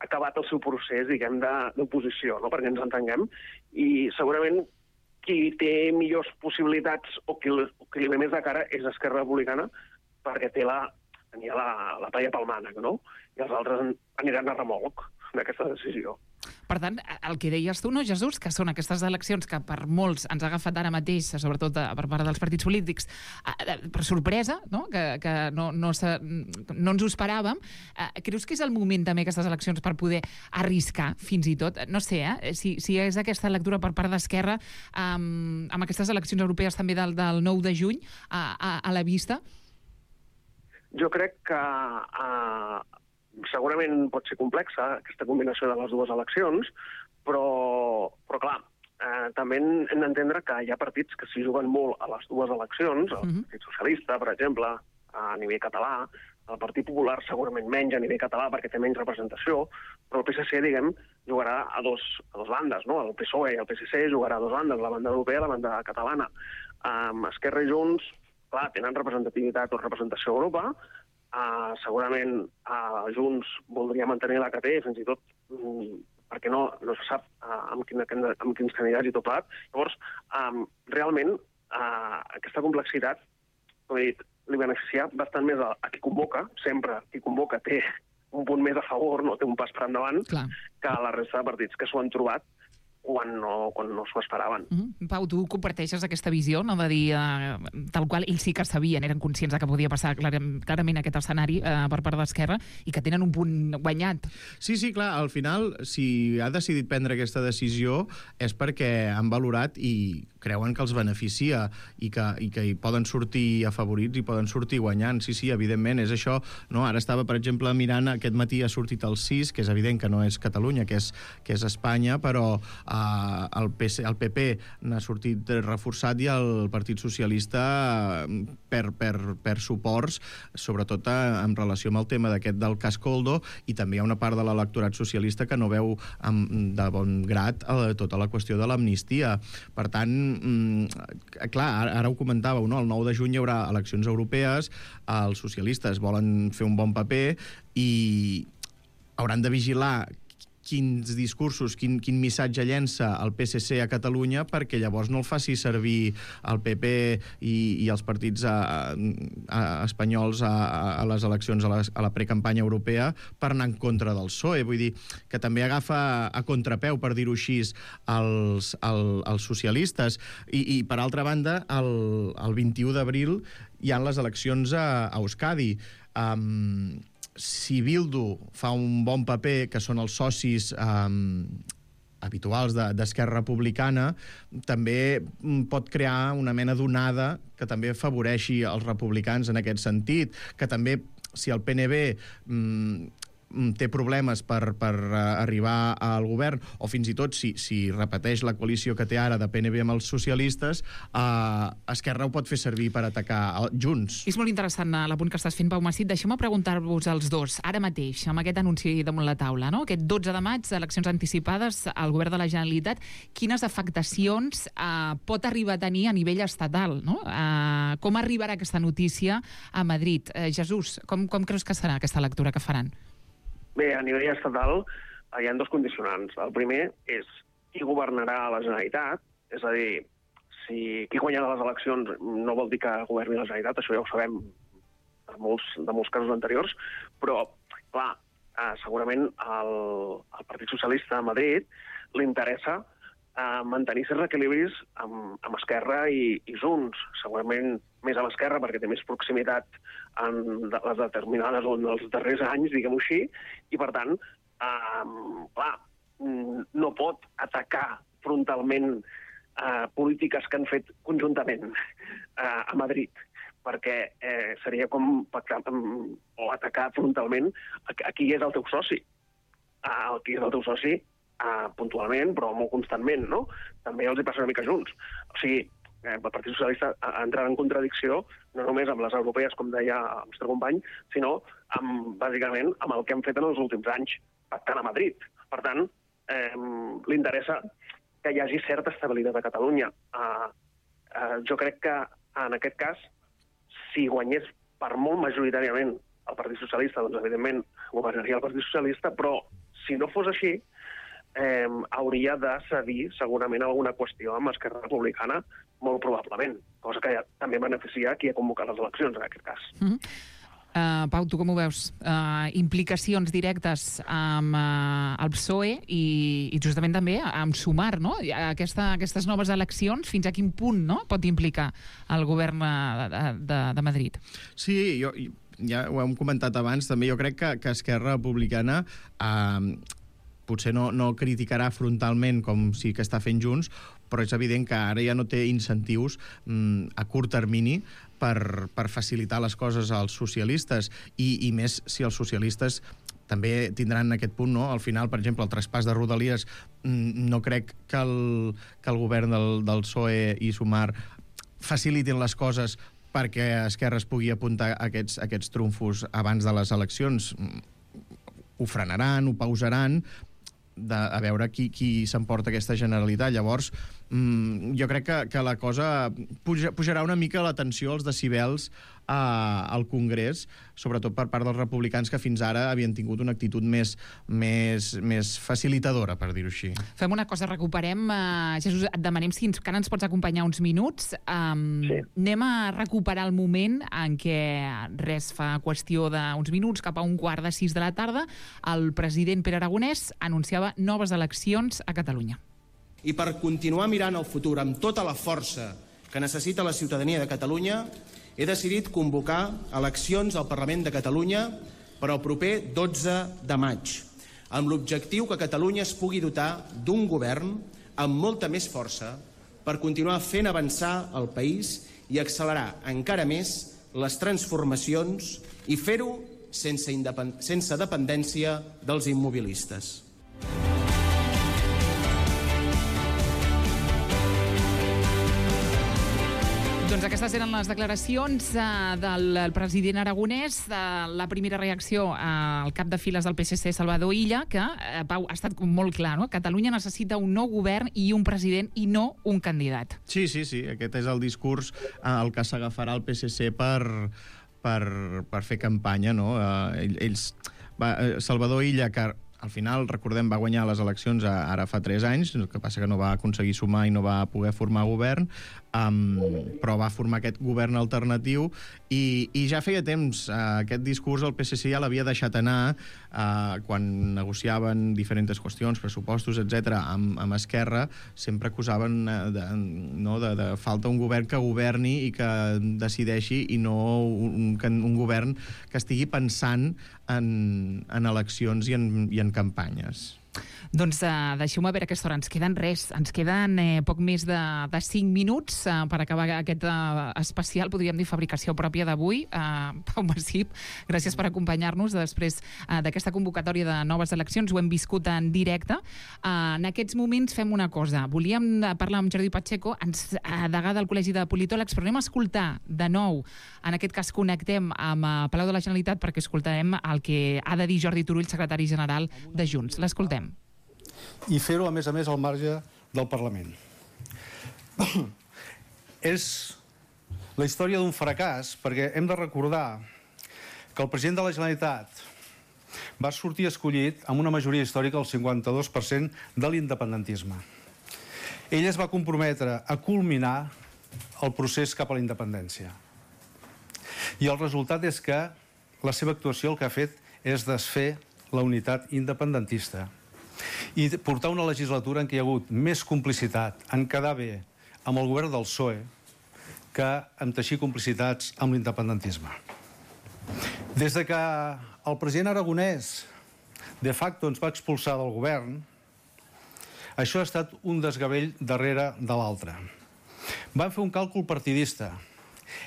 [SPEAKER 10] acabat el seu procés, diguem, d'oposició, no?, perquè ens entenguem, i segurament qui té millors possibilitats o qui li ve més de cara és Esquerra Republicana, perquè tenia la palla pel mànec, no?, i els altres aniran a remolc d'aquesta decisió.
[SPEAKER 2] Per tant, el que deies tu, no, Jesús, que són aquestes eleccions que per molts ens ha agafat ara mateix, sobretot per part dels partits polítics, per sorpresa, no?, que no ens ho esperàvem. Creus que és el moment també, aquestes eleccions, per poder arriscar, fins i tot? No sé, si és aquesta lectura per part d'Esquerra, amb aquestes eleccions europees també del 9 de juny a la vista?
[SPEAKER 10] Jo crec que segurament pot ser complexa aquesta combinació de les dues eleccions, però clar, també hem d'entendre que hi ha partits que s'hi juguen molt a les dues eleccions, el Partit Socialista, per exemple, a nivell català, el Partit Popular segurament menys a nivell català perquè té menys representació, però el PSC, diguem, jugarà a dos bandes, no? El PSOE i el PSC jugarà a dos bandes, la banda europea i la banda catalana. Esquerra i Junts, clar, tenen representativitat o representació a Europa, segurament Junts voldria mantenir la que té, fins i tot perquè no se sap amb quins candidats i tot plat. Llavors, realment, aquesta complexitat, com he dit, li beneficia bastant més a qui convoca, sempre qui convoca té un punt més a favor, no té un pas per endavant, que a la resta de partits que s'ho han trobat quan no s'ho esperaven.
[SPEAKER 2] Pau, tu comparteixes aquesta visió, no?, de dir tal qual ells sí que sabien, eren conscients que podia passar clarament aquest escenari per part d'Esquerra i que tenen un punt guanyat.
[SPEAKER 3] Sí, clar, al final, si ha decidit prendre aquesta decisió és perquè han valorat i creuen que els beneficia i que hi poden sortir afavorits i poden sortir guanyant. Sí, evidentment, és això. No? Ara estava, per exemple, mirant, aquest matí ha sortit el CIS, que és evident que no és Catalunya, que és Espanya, però el PP n'ha sortit reforçat i el Partit Socialista per suports, sobretot en relació amb el tema del cas Koldo, i també hi ha una part de l'electorat socialista que no veu de bon grat tota la qüestió de l'amnistia. Per tant, clar, ara ho comentàveu, no? El 9 de juny hi haurà eleccions europees, els socialistes volen fer un bon paper i hauran de vigilar quins discursos, quin missatge llença el PSC a Catalunya, perquè llavors no el faci servir el PP i els partits espanyols a les eleccions, a la precampanya europea, per anar en contra del PSOE. Vull dir que també agafa a contrapeu, per dir-ho així, els socialistes. I per altra banda, el 21 d'abril hi ha les eleccions a Euskadi. Si Bildu fa un bon paper, que són els socis habituals d'Esquerra Republicana, també pot crear una mena d'onada que també afavoreixi els republicans en aquest sentit, que també, si el PNB té problemes per arribar al govern, o fins i tot si repeteix la coalició que té ara de PNB amb els socialistes, Esquerra ho pot fer servir per atacar Junts.
[SPEAKER 2] És molt interessant l'apunt que estàs fent, Pau Macit. Deixeu-me preguntar-vos als dos, ara mateix, amb aquest anunci damunt la taula, no? Aquest 12 de maig, eleccions anticipades al govern de la Generalitat, quines afectacions pot arribar a tenir a nivell estatal, no? Com arribarà aquesta notícia a Madrid? Jesús, com creus que serà aquesta lectura que faran?
[SPEAKER 10] Bé, a nivell estatal hi ha dos condicionants. El primer és qui governarà a la Generalitat, és a dir, si qui guanyarà les eleccions no vol dir que governi la Generalitat, això ja ho sabem de molts casos anteriors, però, clar, segurament al Partit Socialista a Madrid li interessa mantenir certs equilibris amb Esquerra i Junts. Segurament més amb Esquerra perquè té més proximitat en les determinades o en els darrers anys, diguem-ho així, i per tant, clar, no pot atacar frontalment polítiques que han fet conjuntament a Madrid, perquè seria com pactar o atacar frontalment a qui és el teu soci. Qui és el teu soci puntualment, però molt constantment, no? També els hi passa una mica Junts. O sigui, el Partit Socialista entrarà en contradicció no només amb les europees, com deia el nostre company, sinó bàsicament amb el que hem fet en els últims anys, pactant a Madrid. Per tant, li interessa que hi hagi certa estabilitat a Catalunya. Jo crec que en aquest cas, si guanyés per molt majoritàriament el Partit Socialista, doncs evidentment governaria el Partit Socialista, però si no fos així, hauria de cedir segurament alguna qüestió amb Esquerra Republicana, molt probablement, cosa que també beneficia qui ha convocat les eleccions en aquest cas.
[SPEAKER 2] Pau, tu com ho veus? Implicacions directes amb el PSOE i justament també amb Sumar, no? Aquestes noves eleccions, fins a quin punt, no?, pot implicar el govern de Madrid?
[SPEAKER 3] Sí, ja ho hem comentat abans, també jo crec que Esquerra Republicana potser no criticarà frontalment com sí que està fent Junts, però és evident que ara ja no té incentius a curt termini per facilitar les coses als socialistes, i més si els socialistes també tindran aquest punt, no? Al final, per exemple, el traspàs de Rodalies, no crec que el govern del PSOE i Sumar facilitin les coses perquè Esquerra es pugui apuntar aquests trumfos abans de les eleccions. Ho frenaran, ho pausaran, a veure qui s'emporta aquesta Generalitat. Llavors, jo crec que la cosa pujarà una mica la tensió, els decibels al Congrés, sobretot per part dels republicans, que fins ara havien tingut una actitud més facilitadora, per dir-ho així.
[SPEAKER 2] Fem una cosa, recuperem, Jesús, et demanem si encara ens pots acompanyar uns minuts. Sí. Anem a recuperar el moment en què, fa qüestió d'uns minuts, cap a 5:15 de la tarda, el president Pere Aragonès anunciava noves eleccions a Catalunya.
[SPEAKER 9] I per continuar mirant el futur amb tota la força que necessita la ciutadania de Catalunya, he decidit convocar eleccions al Parlament de Catalunya per al proper 12 de maig, amb l'objectiu que Catalunya es pugui dotar d'un govern amb molta més força, per continuar fent avançar el país i accelerar encara més les transformacions i fer-ho sense dependència dels immobilistes.
[SPEAKER 2] Doncs aquestes eren les declaracions del president aragonès. La primera reacció al cap de files del PSC, Salvador Illa, que, Pau, ha estat molt clar, no? Catalunya necessita un nou govern i un president i no un candidat.
[SPEAKER 3] Sí. Aquest és el discurs al que s'agafarà el PSC per fer campanya, no? Salvador Illa, que al final, recordem, va guanyar les eleccions ara fa 3 anys, el que passa que no va aconseguir sumar i no va poder formar govern, però va formar aquest govern alternatiu i ja feia temps aquest discurs el PSC ja l'havia deixat anar quan negociaven diferents qüestions, pressupostos, etc. amb Esquerra, sempre acusaven de falta un govern que governi i que decideixi i no un govern que estigui pensant en eleccions i en campanyes.
[SPEAKER 2] Doncs deixeu-me veure a aquesta hora. Ens queden poc més de 5 minuts per acabar aquest especial, podríem dir, fabricació pròpia d'avui. Pau Massip, gràcies per acompanyar-nos després d'aquesta convocatòria de noves eleccions. Ho hem viscut en directe. En aquests moments fem una cosa. Volíem parlar amb Jordi Pacheco, degà del Col·legi de Politòlegs, però anem a escoltar de nou. En aquest cas connectem amb Palau de la Generalitat perquè escoltarem el que ha de dir Jordi Turull, secretari general de Junts. L'escoltem.
[SPEAKER 11] I fer-ho, a més, al marge del Parlament. És la història d'un fracàs, perquè hem de recordar que el president de la Generalitat va sortir escollit amb una majoria històrica del 52% de l'independentisme. Ell es va comprometre a culminar el procés cap a la independència. I el resultat és que la seva actuació el que ha fet és desfer la unitat independentista i portar una legislatura en què hi ha hagut més complicitat en quedar bé amb el govern del PSOE que en teixir complicitats amb l'independentisme. Des de que el president aragonès de facto ens va expulsar del govern, això ha estat un desgavell darrere de l'altre. Van fer un càlcul partidista.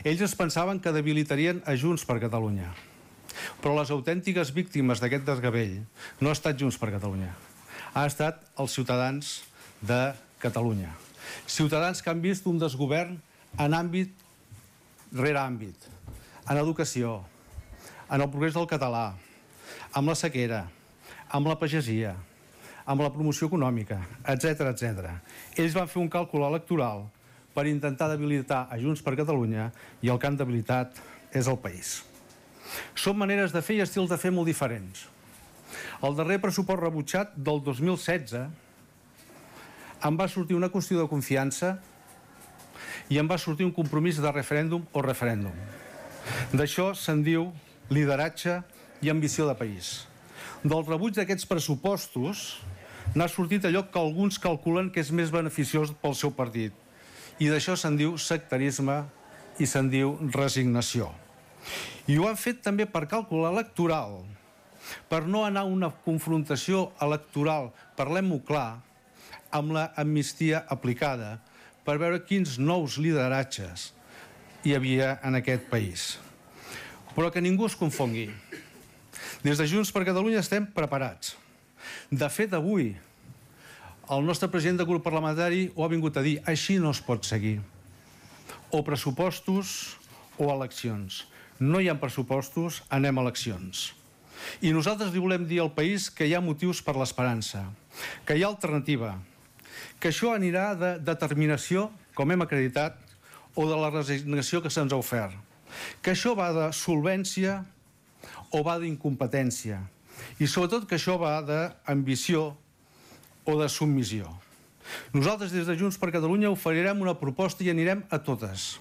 [SPEAKER 11] Ells es pensaven que debilitarien a Junts per Catalunya. Però les autèntiques víctimes d'aquest desgavell no ha estat Junts per Catalunya. Ha estat els ciutadans de Catalunya. Ciutadans que han vist un desgovern en àmbit rere àmbit, en educació, en el progrés del català, amb la sequera, amb la pagesia, amb la promoció econòmica, etc. Ells van fer un càlcul electoral per intentar debilitar a Junts per Catalunya i el que han debilitat és el país. Són maneres de fer i estils de fer molt diferents. El darrer pressupost rebutjat del 2016 em va sortir una qüestió de confiança i em va sortir un compromís de referèndum o referèndum. D'això se'n diu lideratge i ambició de país. Del rebuig d'aquests pressupostos n'ha sortit allò que alguns calculen que és més beneficiós pel seu partit. I d'això se'n diu sectarisme i se'n diu resignació. I ho han fet també per càlcul electoral, per no anar a una confrontació electoral, parlem-ho clar, amb la amnistia aplicada, per veure quins nous lideratges hi havia en aquest país. Però que ningú es confongui. Des de Junts per Catalunya estem preparats. De fet, avui, el nostre president de grup parlamentari ho ha vingut a dir, així no es pot seguir. O pressupostos o eleccions. No hi ha pressupostos, anem a eleccions. I nosaltres li volem dir al país que hi ha motius per l'esperança, que hi ha alternativa, que això anirà de determinació, com hem acreditat, o de la resignació que se'ns ha ofert, que això va de solvència o va d'incompetència, i sobretot que això va d'ambició o de submissió. Nosaltres des de Junts per Catalunya oferirem una proposta i anirem a totes.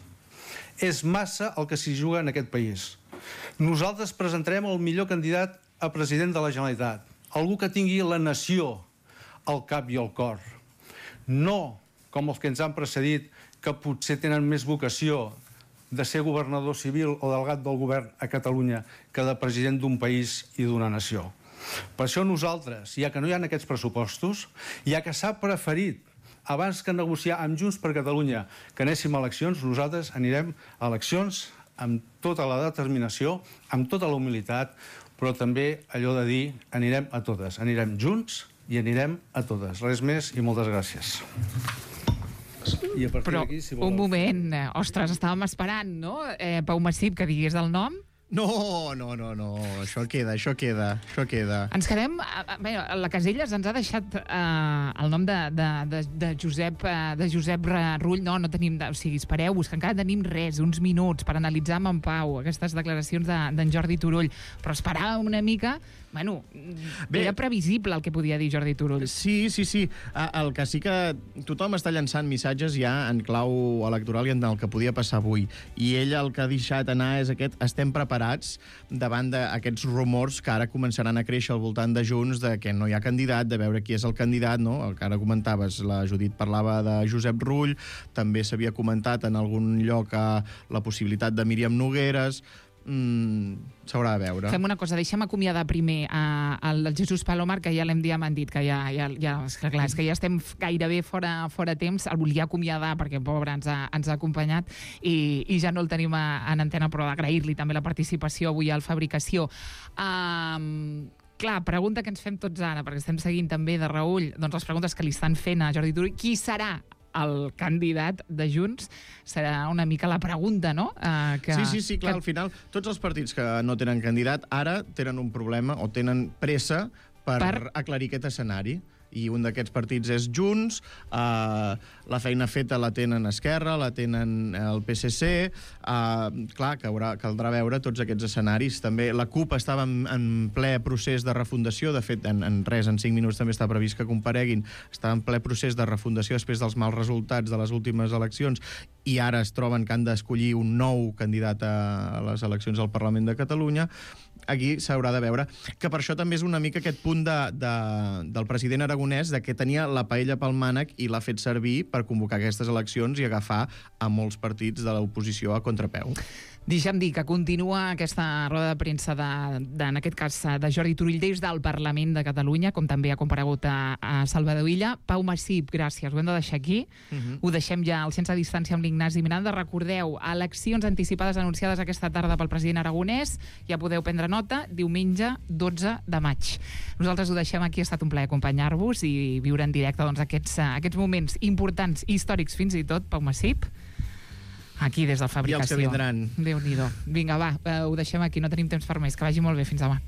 [SPEAKER 11] És massa el que s'hi juga en aquest país. Nosaltres presentarem el millor candidat a president de la Generalitat, algú que tingui la nació al cap i al cor. No com els que ens han precedit, que potser tenen més vocació de ser governador civil o delegat del govern a Catalunya que de president d'un país i d'una nació. Per això nosaltres, ja que no hi ha aquests pressupostos, ja que s'ha preferit abans que negociar amb Junts per Catalunya que anéssim a eleccions, nosaltres anirem a eleccions amb tota la determinació, amb tota la humilitat, però també allò de dir anirem a totes, anirem junts i anirem a totes. Res més i moltes gràcies. I a partir
[SPEAKER 2] Però,
[SPEAKER 11] d'aquí, si voleu...
[SPEAKER 2] un moment, ostres, estàvem esperant, no? Pau Massip, que digués el nom.
[SPEAKER 3] No, això queda.
[SPEAKER 2] Ens quedem... Bé, la Caselles ens ha deixat el nom de Josep Rull. No tenim... O sigui, espereu-vos, que encara tenim uns minuts per analitzar amb en Pau aquestes declaracions d'en Jordi Turull. Però esperàvem una mica... Bueno, era previsible el que podia dir Jordi Turull.
[SPEAKER 3] Sí. El que sí que tothom està llançant missatges ja en clau electoral i en el que podia passar avui. I ell el que ha deixat anar és aquest: estem preparats davant d'aquests rumors que ara començaran a créixer al voltant de Junts, de que no hi ha candidat, de veure qui és el candidat, no? El que ara comentaves, la Judit parlava de Josep Rull, també s'havia comentat en algun lloc la possibilitat de Míriam Nogueres. S'haurà de veure.
[SPEAKER 2] Fem una cosa, deixem acomiadar primer el Jesús Palomar, que ja l'hem diamandit, que és que ja estem gairebé fora temps. El volia acomiadar perquè, pobre, ens ha acompanyat i ja no el tenim en antena, però agrair-li també la participació avui al Fabricació. Clar, pregunta que ens fem tots ara, perquè estem seguint també de reüll les preguntes que li estan fent a Jordi Turull. Qui serà el candidat de Junts? Serà una mica la pregunta, no?
[SPEAKER 3] Sí, clar, al final tots els partits que no tenen candidat ara tenen un problema o tenen pressa per aclarir aquest escenari. I un d'aquests partits és Junts, la feina feta la tenen Esquerra, la tenen el PSC, clar, caldrà veure tots aquests escenaris. També la CUP estava en ple procés de refundació, de fet, en 5 minuts també està previst que compareguin, estava en ple procés de refundació després dels mals resultats de les últimes eleccions i ara es troben que han d'escollir un nou candidat a les eleccions al Parlament de Catalunya. Aquí s'haurà de veure, que per això també és una mica aquest punt del president aragonès, de que tenia la paella pel mànec i l'ha fet servir per convocar aquestes eleccions i agafar a molts partits de l'oposició a contrapeu.
[SPEAKER 2] Deixa'm dir que continua aquesta roda de premsa en aquest cas de Jordi Turull des del Parlament de Catalunya, com també ha comparegut a Salvador Illa. Pau Massip, gràcies, ho hem de deixar aquí. Ho deixem ja al Sense Distància amb l'Ignasi Miranda. Recordeu, eleccions anticipades anunciades aquesta tarda pel president aragonès. Ja podeu prendre nota, diumenge 12 de maig. Nosaltres ho deixem aquí, ha estat un plaer acompanyar-vos i viure en directe aquests moments importants, històrics fins i tot, Pau Massip. Aquí, des del Fabricació.
[SPEAKER 3] I els que vindran.
[SPEAKER 2] Déu-n'hi-do. Vinga, va, ho deixem aquí, no tenim temps per més. Que vagi molt bé, fins demà.